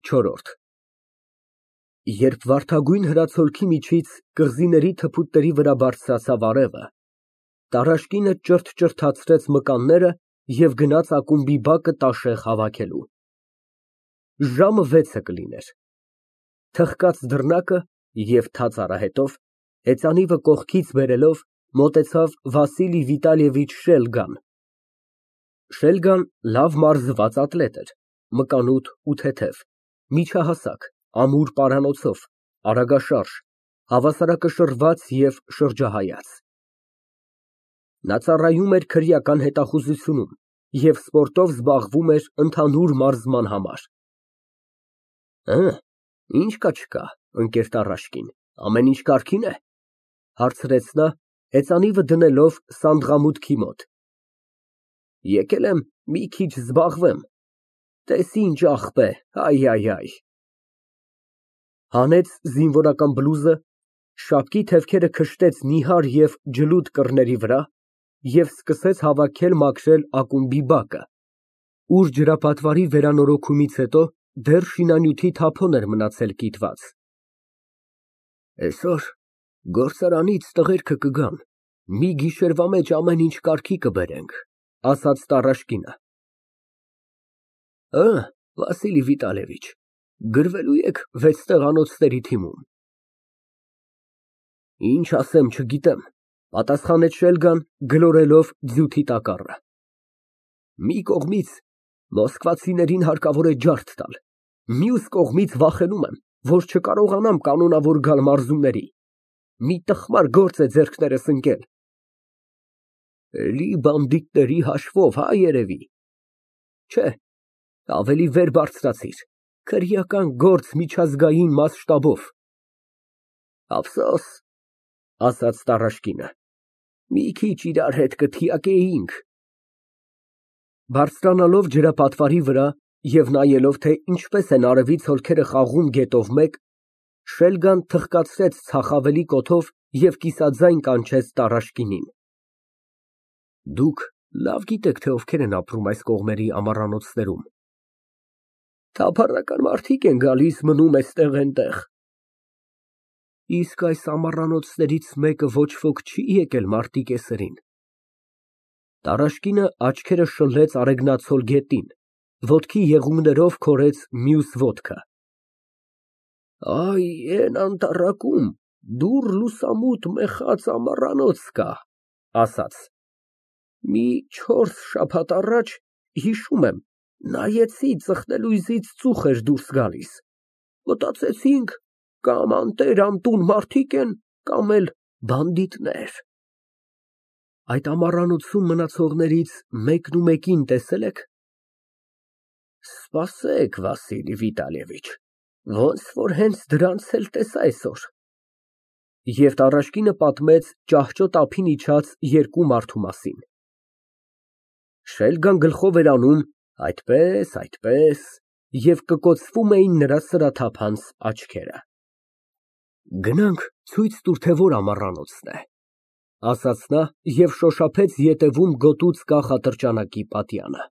ՉՈՐՐՈՐԴ Երբ վարդագույն հրացոլքի միջից կղզիների թփուտների վրա բարձրացավ արևը, Տարաշկինը ճրթճրթացրեց մկանները և գնաց ակումբի բակը տաշեղ հավաքելու։ Ժամը 6-ը կլիներ։ Թխկաց դռնակը և թաց արահետով, հեծանիվը կողքից բերելով, մոտեցավ Վասիլի Վիտալիևիչ Շելգան։ Շելգան լավ մարզված ատլետ էր, մկանուտ ու թեթև, միջահասակ, ամուր պարանոցով, արագաշարժ, հավասարակշռված և շրջահայաց։ Նա ծառայում էր քրեական հետախուզությունում և սպորտով զբաղվում էր ընդհանուր մարզման համար։ Ի՞նչ կա չկա, ընկեր Տարաշկին, ամեն ինչ կարգին է, հարցրեց նա, հեծանիվը դնելով սանդղամուտքի մոտ։ Եկել եմ մի քիչ զբաղվեմ, տես ինչ աղբ է, Հանեց զինվորական բլուզը, շապկի թևքերը քշտեց նիհար և ջլուդ կռների վրա և սկսեց հավաքել մաքրել ակումբի բակը, ուր ջրապատվարի վերանորոգումից հետո դեռ շինանյութի թափոն էր մնացել կիտված։ Այսօր գործարանից տղերքը կգան, մի գիշերվա մեջ ամեն ինչ կարգի կբերենք, ասաց Տարաշկինը։ Վասիլի Վիտալիևիչ, գրվելու եք 6 տեղանոցների թիմում։ Ինչ ասեմ, չգիտեմ, պատասխանեց Շելգան, գլորելով ձյութի տակառը։ Մի կողմից մոսկվացիներին հարկավոր է ջարդ տալ, մյուս կողմից վախենում եմ, որ չկարողանամ կանոնավոր գալ մարզումների, մի տխմար գործ է ձեռքներս ընկել։ Էլի բանդիտների հաշվով, երևի։ Չէ, ավելի վեր բարձրացիր, քրեական գործ միջազգային մասշտաբով։ Ափսոս, ասաց Տարաշկինը, մի քիչ իրար հետ կթիակեինք։ Բարձրանալով ջրապատվարի վրա և նայելով, թե ինչպես են արևից հոլքերը խաղում գետով մեկ, Շելգան թխկացրեց ցախավելի կոթով և կիսաձայն կանչեց Տարաշկինին։ Դուք լավ գիտեք, թե ովքեր են ապրում այս կողմերի ամառանոցներում։ Թափառական մարդիկ են գալիս, մնում էստեղ֊այնտեղ։ Իսկ այս ամառանոցներից մեկը ոչ ոք չի եկել մարտի կեսերին։ Տարաշկինը աչքերը շլեց արեգնացol գետին, ոտքի եղունգներով քորեց մյուս ոտքը։ Էն անտառակում դուռ լուսամուտ մեխած ամառանոց կա, ասաց։ Մի 4 շաբաթ առաջ, հիշում եմ, նայեցի, ծխնելույզից ծուխ էր դուրս գալիս, մտածեցինք, կամ անտեր֊անտուն մարդիկ են, կամ էլ բանդիտներ։ Այդ ամառանոցում մնացողներից մեկնումեկին տեսե՞լ եք։ Սպասեք, Վասիլի Վիտալիևիչ, ոնց որ հենց դրանց էլ տեսա այսօր։ Եվ Տարաշկինը պատմեց ճահճոտ ափին իջած 2 մարդու մասին։ Շելգան գլխով էր անում այդպես, և կկոցվում էին նրա սրաթափանց աչքերը։ Գնանք ցույց տուր, թե որ ամառանոցն է, ասաց նա և շոշափեց ետևում գոտուց կախ ատրճանակի պատյանը։